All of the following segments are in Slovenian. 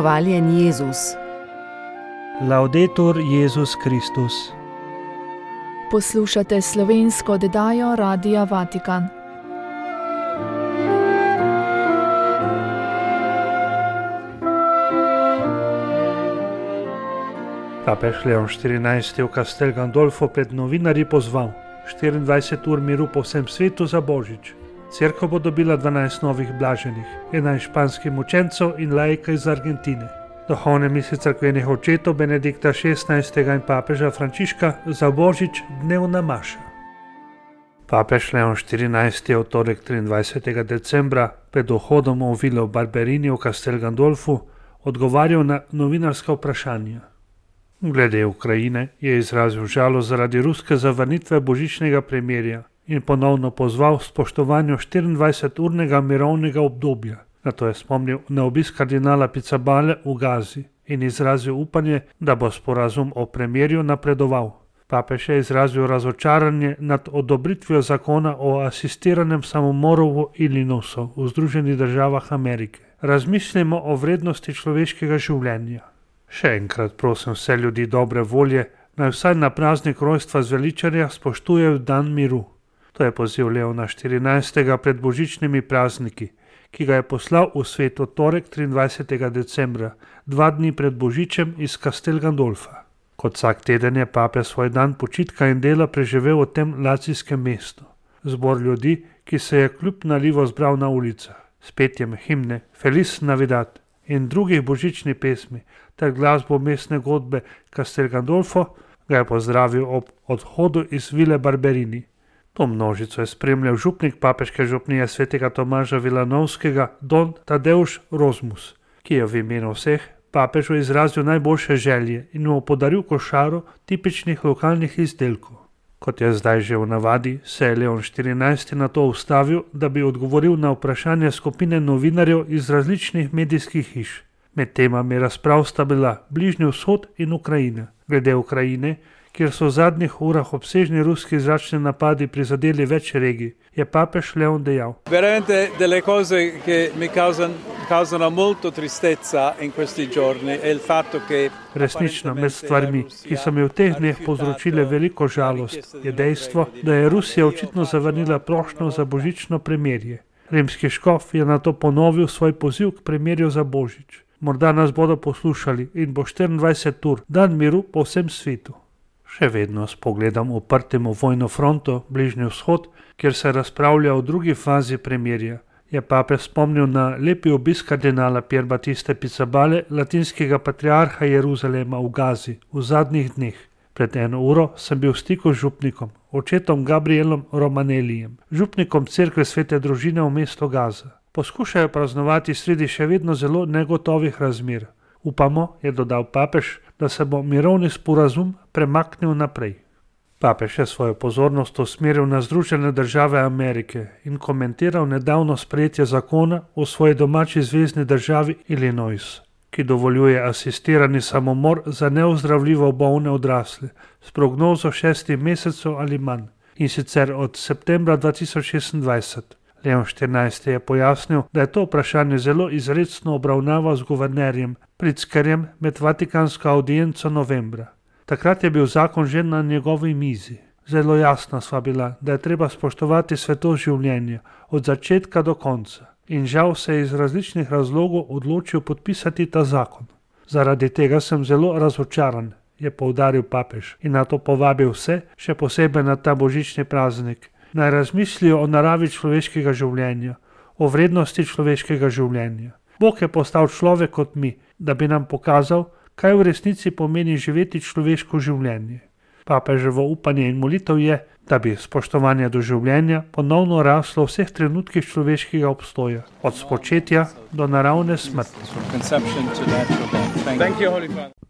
Hvaljen Jezus. Laudetur Jezus Kristus. Poslušate slovensko oddajo Radia Vatikan. Papež Leon XIV je v Castel Gandolfo pred novinarji pozval 24 ur miru po vsem svetu za Božič. Cerkev bo dobila 12 novih blaženih, 11 španskih mučencev in laika iz Argentine. Duhovne misli cerkvenih očetov Benedikta XVI. In papeža Frančiška za Božič dnevna maša. Papež Leon XIV. Je v torek 23. decembra pred vhodom v vilo Barberini v Castel Gandolfu odgovarjal na novinarska vprašanja. Glede Ukrajine je izrazil žalost zaradi ruske zavrnitve božičnega premirja in ponovno pozval spoštovanju 24-urnega mirovnega obdobja. Nato je spomnil na obisk kardinala Pizzabale v Gazi in izrazil upanje, da bo sporazum o premirju napredoval. Papež je izrazil razočaranje nad odobritvijo zakona o asistiranem samomoru v Illinoisu v Združenih državah Amerike. Razmislimo o vrednosti človeškega življenja. Še enkrat prosim vse ljudi dobre volje, naj vsaj na praznik rojstva zveličarja spoštujejo dan miru. To je poziv Leona XIV. Pred božičnimi prazniki, ki ga je poslal v svet v torek 23. decembra, 2 dni pred božičem iz Castel Gandolfa. Kot vsak teden je pape svoj dan počitka in dela preživel v tem lacijskem mestu. Zbor ljudi, ki se je kljub nalivu zbral na ulicah, s petjem himne Feliz Navidad in drugih božičnih pesmi ter glasbo mestne godbe Castel Gandolfo, ga je pozdravil ob odhodu iz vile Barberini. To množico je spremljal župnik papeške župnije svetega Tomaža Vilanovskega Don Tadeusz Rozmus, ki je v imenu vseh papežu izrazil najboljše želje in mu podaril košaro tipičnih lokalnih izdelkov. Kot je zdaj že v navadi, se je Leon XIV. Na to ustavil, da bi odgovoril na vprašanje skupine novinarjev iz različnih medijskih hiš. Med temami razprav sta bila Bližnji vzhod in Ukrajina. Glede Ukrajine, kjer so v zadnjih urah obsežni ruski zračni napadi prizadeli več regij, je papež Leon dejal: Veramente delle cose che mi causano molto tristezza in questi giorni è il fatto che Resnično, med stvarmi, ki so mi v teh dneh povzročile veliko žalost, je dejstvo, da je Rusija očitno zavrnila prošnjo za božično premirje. Rimski škof je nato ponovil svoj poziv k premirju za Božič. Morda nas bodo poslušali in bo 24 ur dan miru po vsem svetu. Še vedno s pogledom uprtim v vojno fronto, Bližnji vzhod, kjer se razpravlja o drugi fazi premirja, je papež spomnil na lepi obisk kardinala Pier Battiste Pizzabale, latinskega patriarha Jeruzalema v Gazi, v zadnjih dneh. Pred 1 uro sem bil v stiku z župnikom, očetom Gabrielom Romanelijem, župnikom cerkve Svete družine v mesto Gaza. Poskušajo praznovati sredi še vedno zelo negotovih razmer. Upamo, je dodal papež, da se bo mirovni sporazum premaknil naprej. Papež je svojo pozornost usmeril na Združene države Amerike in komentiral nedavno sprejetje zakona v svoji domači zvezni državi Illinois, ki dovoljuje asistirani samomor za neozdravljivo bolne odrasle s prognozo 6 mesecev ali manj, in sicer od septembra 2026. Leon XIV. Je pojasnil, da je to vprašanje zelo izrecno obravnaval z guvernerjem Pritzkerjem med vatikansko audienco novembra. Takrat je bil zakon že na njegovi mizi. Zelo jasna sva bila, da je treba spoštovati svetost življenja od začetka do konca. In žal se je iz različnih razlogov odločil podpisati ta zakon. Zaradi tega sem zelo razočaran, je poudaril papež in nato povabil vse, še posebej na ta božični praznik, naj razmislijo o naravi človeškega življenja, o vrednosti človeškega življenja. Bog je postal človek kot mi, da bi nam pokazal, kaj v resnici pomeni živeti človeško življenje. Papeževo upanje in molitev je, da bi spoštovanje do življenja ponovno raslo v vseh trenutkih človeškega obstoja, od spočetja do naravne smrti.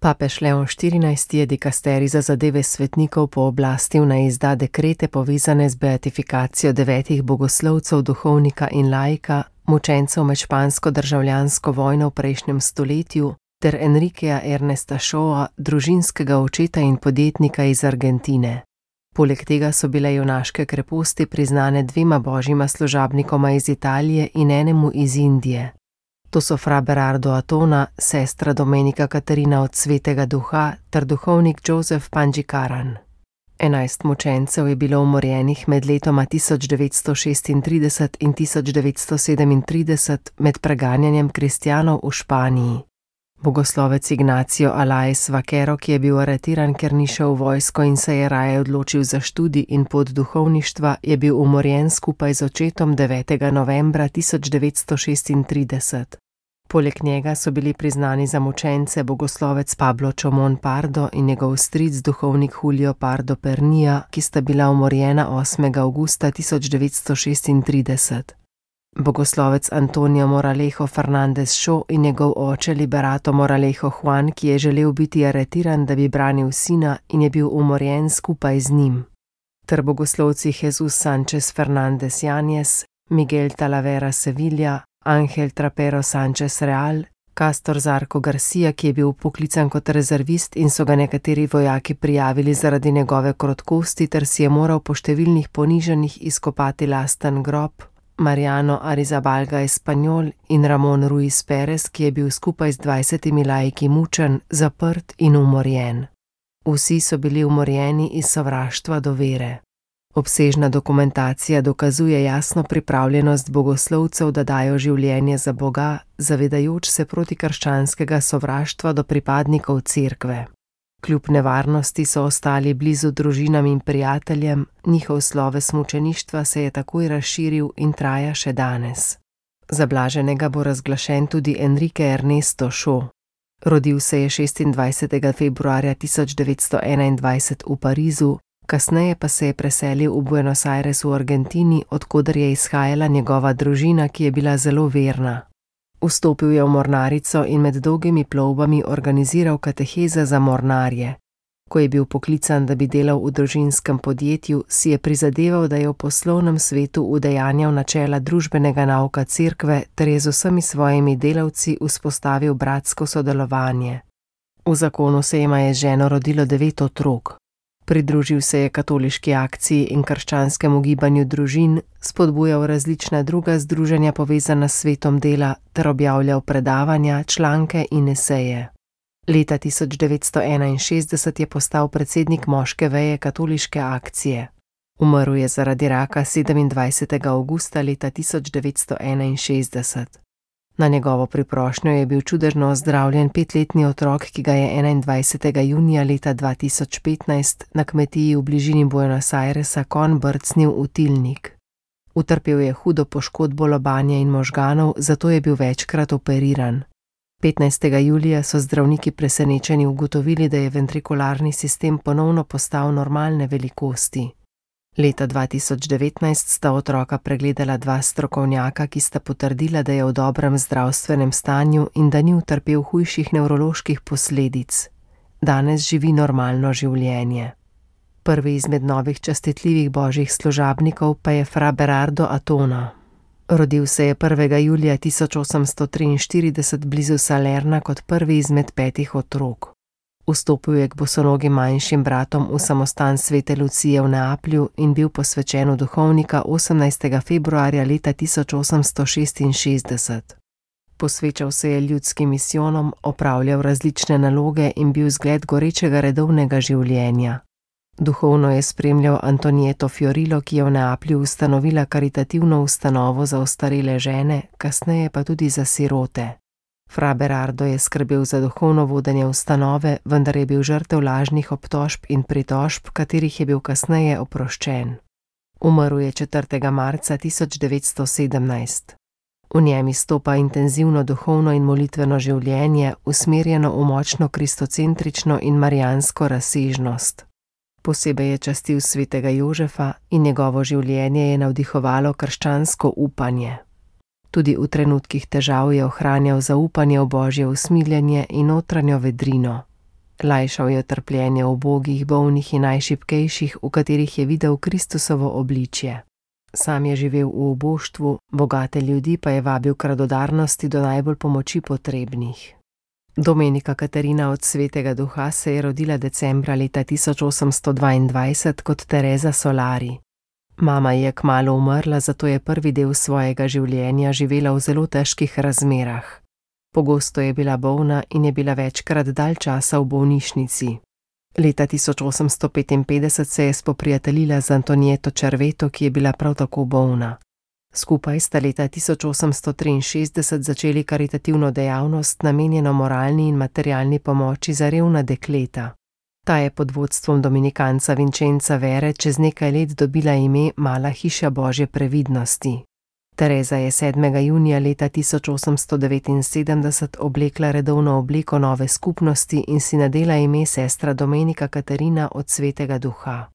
Papež Leon XIV. Je dikasterij za zadeve svetnikov pooblastil naj izda dekrete povezane z beatifikacijo 9 bogoslovcev, duhovnika in laika, mučencev med špansko državljansko vojno v prejšnjem stoletju, ter Enriqueja Ernesta Shawa, družinskega očeta in podjetnika iz Argentine. Poleg tega so bile junaške kreposti priznane 2 božjima služabnikoma iz Italije in enemu iz Indije. To so fra Berardo Atona, sestra Domenika Katarina od Svetega Duha ter duhovnik Joseph Panjikaran. 11 mučencev je bilo umorjenih med letoma 1936 in 1937 med preganjanjem kristjanov v Španiji. Bogoslovec Ignacio Alaez Vaquero, ki je bil aretiran, ker ni šel v vojsko in se je raje odločil za študij in pot duhovništva, je bil umorjen skupaj z očetom 9. novembra 1936. Poleg njega so bili priznani za mučence bogoslovec Pablo Chomón Pardo in njegov stric duhovnik Julio Pardo Pernilla, ki sta bila umorjena 8. avgusta 1936. Bogoslovec Antonio Moralejo Fernández Šo in njegov oče Liberato Moralejo Juan, ki je želel biti aretiran, da bi branil sina in je bil umorjen skupaj z njim. Ter bogoslovci Jesus Sánchez Fernández Yáñez, Miguel Talavera Sevilla, Ángel Trapero Sánchez Real, Castor Zarco Garcia, ki je bil poklican kot rezervist in so ga nekateri vojaki prijavili zaradi njegove krotkosti ter si je moral po številnih ponižanjih izkopati lasten grob, Mariano Arizabalga Espanyol in Ramon Ruiz Perez, ki je bil skupaj z 20 laiki mučen, zaprt in umorjen. Vsi so bili umorjeni iz sovraštva do vere. Obsežna dokumentacija dokazuje jasno pripravljenost bogoslovcev, da dajo življenje za Boga, zavedajoč se protikrščanskega sovraštva do pripadnikov cerkve. Kljub nevarnosti so ostali blizu družinam in prijateljem, njihov sloves mučeništva se je takoj razširil in traja še danes. Za blaženega bo razglašen tudi Enrique Ernesto Šo. Rodil se je 26. februarja 1921 v Parizu, kasneje pa se je preselil v Buenos Aires v Argentini, od koder je izhajala njegova družina, ki je bila zelo verna. Vstopil je v mornarico in med dolgimi plovbami organiziral kateheze za mornarje. Ko je bil poklican, da bi delal v družinskem podjetju, si je prizadeval, da je v poslovnem svetu udejanjal načela družbenega nauka cerkve ter je z vsemi svojimi delavci vzpostavil bratsko sodelovanje. V zakonu se jima je z ženo rodilo 9 otrok. Pridružil se je katoliški akciji in krščanskemu gibanju družin, spodbujal različna druga združenja povezana s svetom dela ter objavljal predavanja, članke in eseje. Leta 1961 je postal predsednik moške veje katoliške akcije. Umrl je zaradi raka 27. avgusta leta 1961. Na njegovo priprošnjo je bil čudežno ozdravljen 5-letni otrok, ki ga je 21. junija leta 2015 na kmetiji v bližini Buenos Airesa konj brcnil v tilnik. Utrpel je hudo poškodbo lobanje in možganov, zato je bil večkrat operiran. 15. julija so zdravniki presenečeni ugotovili, da je ventrikularni sistem ponovno postal normalne velikosti. Leta 2019 sta otroka pregledala 2 strokovnjaka, ki sta potrdila, da je v dobrem zdravstvenem stanju in da ni utrpel hujših nevroloških posledic. Danes živi normalno življenje. Prvi izmed novih častitljivih božjih služabnikov pa je fra Berardo Atona. Rodil se je 1. julija 1843 blizu Salerna kot prvi izmed 5 otrok. Vstopil je k bosonogim manjšim bratom v samostan Svete Lucije v Neaplju in bil posvečen v duhovnika 18. februarja leta 1866. Posvečal se je ljudskim misijonom, opravljal različne naloge in bil zgled gorečega redovnega življenja. Duhovno je spremljal Antonieto Fiorillo, ki je v Neaplju ustanovila karitativno ustanovo za ostarele žene, kasneje pa tudi za sirote. Fra Berardo je skrbel za duhovno vodenje ustanove, vendar je bil žrtev lažnih obtožb in pritožb, katerih je bil kasneje oproščen. Umrl je 4. marca 1917. V njem izstopa intenzivno duhovno in molitveno življenje, usmerjeno v močno kristocentrično in marijansko razsežnost. Posebej je častil svetega Jožefa in njegovo življenje je navdihovalo krščansko upanje. Tudi v trenutkih težav je ohranjal zaupanje v božje usmiljenje in notranjo vedrino. Lajšal je trpljenje ubogih, bolnih in najšibkejših, v katerih je videl Kristusovo obličje. Sam je živel v uboštvu, bogate ljudi pa je vabil k radodarnosti do najbolj pomoči potrebnih. Domenika Katarina od Svetega Duha se je rodila decembra leta 1822 kot Teresa Solari. Mama je kmalu umrla, zato je prvi del svojega življenja živela v zelo težkih razmerah. Pogosto je bila bolna in je bila večkrat dalj časa v bolnišnici. Leta 1855 se je spoprijateljila z Antonieto Cerveto, ki je bila prav tako bolna. Skupaj sta leta 1863 začeli karitativno dejavnost, namenjeno moralni in materialni pomoči za revna dekleta. Ta je pod vodstvom dominikanca Vincenza Vere čez nekaj let dobila ime Mala hiša Božje previdnosti. Tereza je 7. junija leta 1879 oblekla redovno obleko nove skupnosti in si nadela ime sestra Domenika Katarina od Svetega Duha.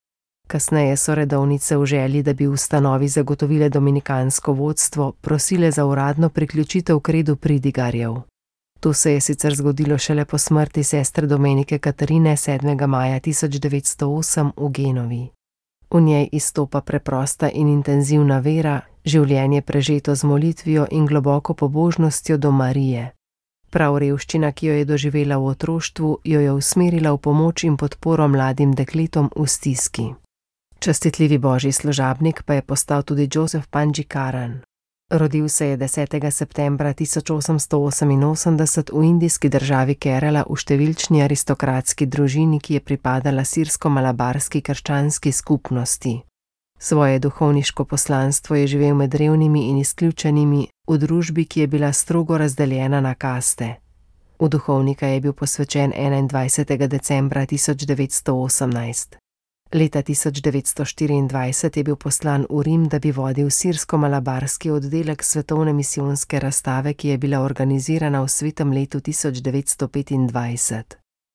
Kasneje so redovnice v želji, da bi ustanovi zagotovile dominikansko vodstvo, prosile za uradno priključitev k redu pridigarjev. To se je sicer zgodilo šele po smrti sestre Domenike Katarine 7. maja 1908 v Genovi. V njej izstopa preprosta in intenzivna vera, življenje prežeto z molitvijo in globoko pobožnostjo do Marije. Prav revščina, ki jo je doživela v otroštvu, jo je usmerila v pomoč in podporo mladim dekletom v stiski. Častitljivi božji služabnik pa je postal tudi Joseph Panjikaran. Rodil se je 10. septembra 1888 v indijski državi Kerala v številčni aristokratski družini, ki je pripadala sirsko-malabarski krščanski skupnosti. Svoje duhovniško poslanstvo je živel med revnimi in izključenimi v družbi, ki je bila strogo razdeljena na kaste. V duhovnika je bil posvečen 21. decembra 1918. Leta 1924 je bil poslan v Rim, da bi vodil sirsko-malabarski oddelek svetovne misijonske razstave, ki je bila organizirana v svetem letu 1925.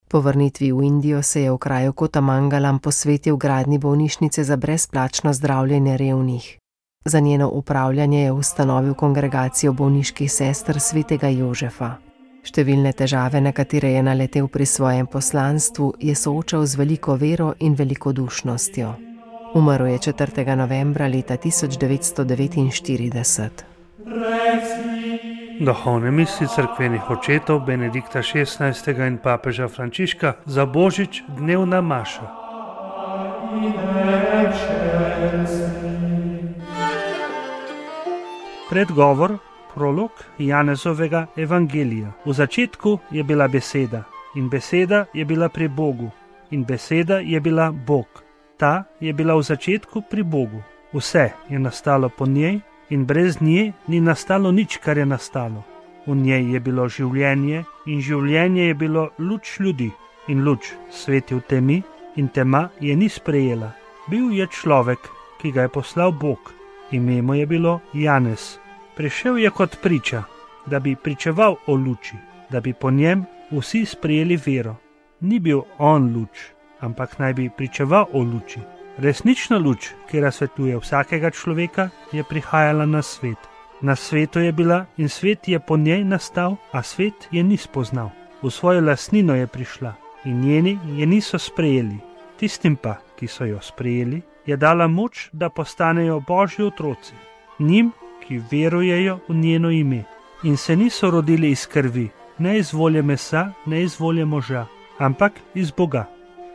Po vrnitvi v Indijo se je v kraju Kotamangalam posvetil gradnji bolnišnice za brezplačno zdravljenje revnih. Za njeno upravljanje je ustanovil kongregacijo bolniških sester svetega Jožefa. Številne težave, na katere je naletel pri svojem poslanstvu, je soočal z veliko vero in velikodušnostjo. Umrl je 4. novembra leta 1949. Duhovne misli cerkvenih očetov Benedikta XVI. In papeža Frančiška za Božič, dnevna maša. Predgovor, prolog Janezovega evangelija. V začetku je bila beseda in beseda je bila pri Bogu in beseda je bila Bog. Ta je bila v začetku pri Bogu. Vse je nastalo po njej in brez nje ni nastalo nič, kar je nastalo. V njej je bilo življenje in življenje je bilo luč ljudi in luč sveti v temi in tema je ni sprejela. Bil je človek, ki ga je poslal Bog. Ime mu je bilo Janez. Prišel je kot priča, da bi pričeval o luči, da bi po njem vsi sprejeli vero. Ni bil on luč, ampak naj bi pričeval o luči. Resnična luč, ki razsvetljuje vsakega človeka, je prihajala na svet. Na svetu je bila in svet je po njej nastal, a svet je ni spoznal. V svojo lastnino je prišla in njeni je niso sprejeli. Tistim pa, ki so jo sprejeli, je dala moč, da postanejo Božji otroci. Njim, ki verujejo v njeno ime in se niso rodili iz krvi, ne iz volje mesa, ne iz volje moža, ampak iz Boga.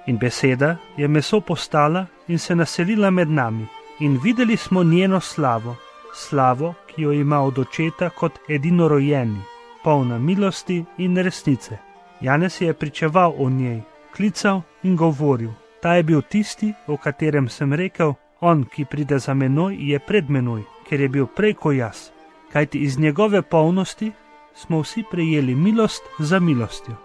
In beseda je meso postala in se naselila med nami in videli smo njeno slavo, slavo, ki jo ima od očeta kot edinorojeni, polna milosti in resnice. Janez je pričeval o njej, klical in govoril. Ta je bil tisti, o katerem sem rekel, on, ki pride za menoj, je pred menoj, ker je bil prej ko jaz. Kajti iz njegove polnosti smo vsi prejeli milost za milostjo.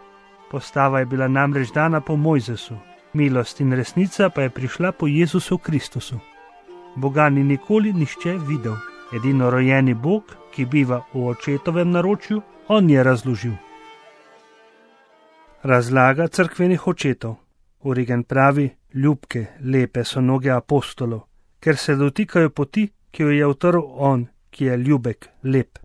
Postava je bila namreč dana po Mojzesu, milost in resnica pa je prišla po Jezusu Kristusu. Boga ni nikoli nihče videl. Edinorojeni Bog, ki biva v očetovem naročju, on je razložil. Razlaga cerkvenih očetov. Origen pravi, ljubke, lepe so noge apostolov, ker se dotikajo poti, ki jo je utrl on, ki je ljubek, lep.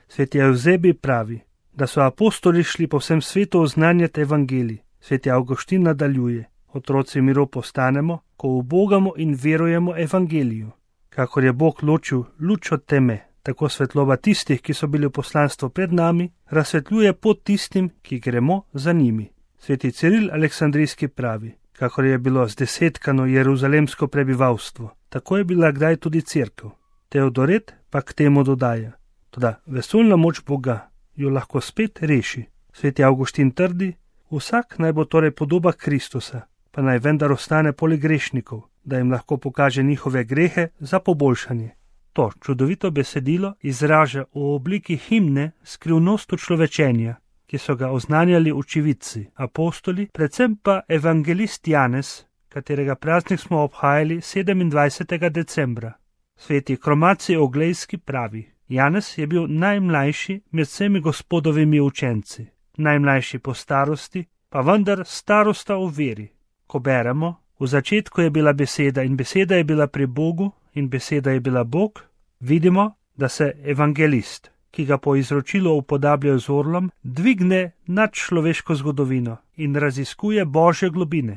Sveti Evzebi pravi, da so apostoli šli po vsem svetu oznanjati evangelij. Sveti Avguštin nadaljuje, otroci miru postanemo, ko ubogamo in verujemo evangeliju. Kakor je Bog ločil luč od teme, tako svetloba tistih, ki so bili v poslanstvu pred nami, razsvetljuje pot tistim, ki gremo za njimi. Sveti Ciril Aleksandrijski pravi, kakor je bilo zdesetkano jeruzalemsko prebivalstvo, tako je bila kdaj tudi cerkev. Teodoret pa k temu dodaja, toda vesoljna moč Boga jo lahko spet reši. Sveti Avguštin trdi, vsak naj bo torej podoba Kristusa, pa naj vendar ostane poleg grešnikov, da jim lahko pokaže njihove grehe za poboljšanje. To čudovito besedilo izraža v obliki himne skrivnost učlovečenja, ki so ga oznanjali očividci, apostoli, predvsem pa evangelist Janez, katerega praznik smo obhajali 27. decembra. Sveti Kromaci Oglejski pravi: Janez je bil najmlajši med vsemi Gospodovimi učenci, najmlajši po starosti, pa vendar starosta v veri. Ko beremo, v začetku je bila beseda in beseda je bila pri Bogu in beseda je bila Bog, vidimo, da se evangelist, ki ga po izročilu upodabljajo z orlom, dvigne nad človeško zgodovino in raziskuje Božje globine.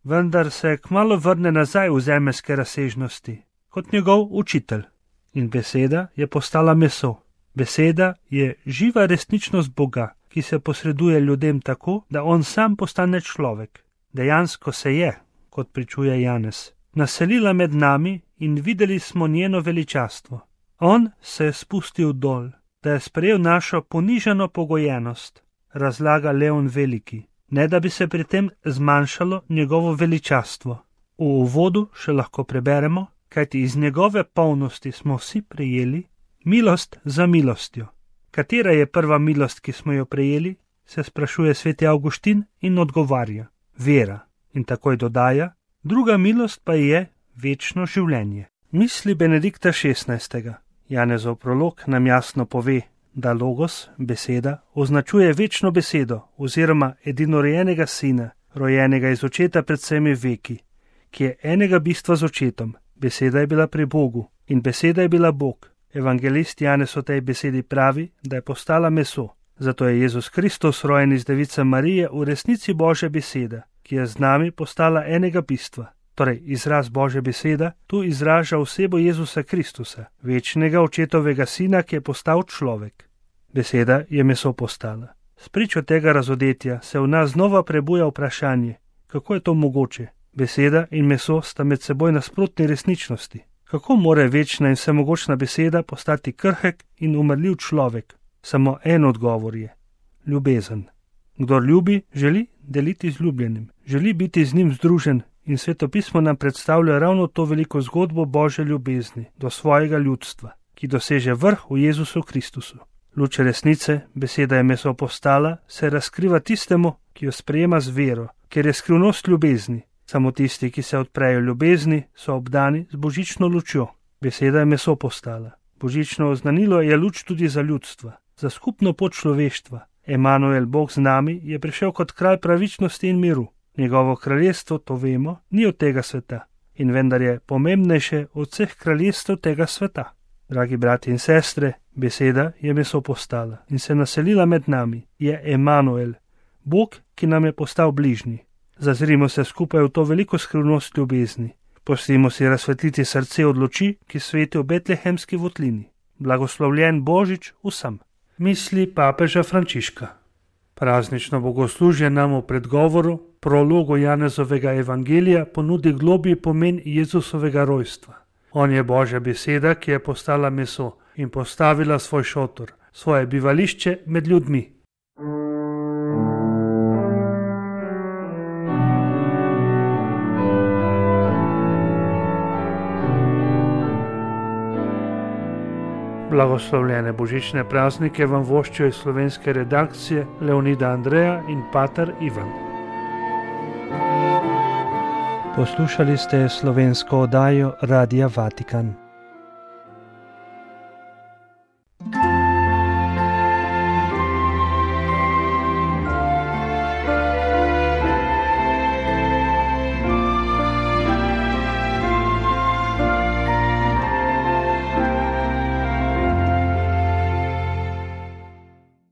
Vendar se kmalu vrne nazaj v zemeljske razsežnosti, kot njegov učitelj. In beseda je postala meso. Beseda je živa resničnost Boga, ki se posreduje ljudem tako, da on sam postane človek. Dejansko se je, kot pričuje Janez, naselila med nami in videli smo njeno veličastvo. On se je spustil dol, da je sprejel našo ponižano pogojenost, razlaga Leon Veliki, ne da bi se pri tem zmanjšalo njegovo veličastvo. V uvodu še lahko preberemo, kajti iz njegove polnosti smo vsi prejeli milost za milostjo. Katera je prva milost, ki smo jo prejeli, se sprašuje sveti Avguštin in odgovarja: vera. In takoj dodaja: druga milost pa je večno življenje. Misli Benedikta XVI. Janezov prolog nam jasno pove, da logos, beseda, označuje večno besedo oziroma edinorojenega sina, rojenega iz očeta pred vsemi veki, ki je enega bistva z očetom. Beseda je bila pri Bogu in beseda je bila Bog. Evangelist Janez o tej besedi pravi, da je postala meso. Zato je Jezus Kristus, rojen iz device Marije, v resnici Božja beseda, ki je z nami postala enega bistva. Torej, izraz Božja beseda tu izraža osebo Jezusa Kristusa, večnega očetovega sina, ki je postal človek. Beseda je meso postala. Spričo tega razodetja se v nas znova prebuja vprašanje, kako je to mogoče. Beseda in meso sta med seboj nasprotni resničnosti. Kako more večna in vsemogočna beseda postati krhek in umrljiv človek? Samo en odgovor je: ljubezen. Kdor ljubi, želi deliti z ljubljenim, želi biti z njim združen in svetopismo nam predstavlja ravno to veliko zgodbo Božje ljubezni do svojega ljudstva, ki doseže vrh v Jezusu Kristusu. Luč resnice, beseda je meso postala, se razkriva tistemu, ki jo sprejema z vero, ker je skrivnost ljubezni. Samo tisti, ki se odprejo ljubezni, so obdani z božično lučjo. Beseda je meso postala. Božično oznanilo je luč tudi za ljudstva, za skupno pot človeštva. Emanuel, Bog z nami, je prišel kot kralj pravičnosti in miru. Njegovo kraljestvo, to vemo, ni od tega sveta in vendar je pomembnejše od vseh kraljestv tega sveta. Dragi brati in sestre, beseda je meso postala in se naselila med nami. Je Emanuel, Bog, ki nam je postal bližnji. Zazrimo se skupaj v to veliko skrivnost ljubezni. Pustimo si razsvetliti srce od luči, ki sveti v betlehemski votlini. Blagoslovljen Božič vsem. Misli papeža Frančiška. Praznično bogoslužje nam v predgovoru, prologu Janezovega evangelija ponudi globlji pomen Jezusovega rojstva. On je Božja beseda, ki je postala meso in postavila svoj šotor, svoje bivališče med ljudmi. Blagoslovljene božične praznike vam voščijo iz slovenske redakcije Leonida Andreja in pater Ivan. Poslušali ste slovensko oddajo Radia Vatikan.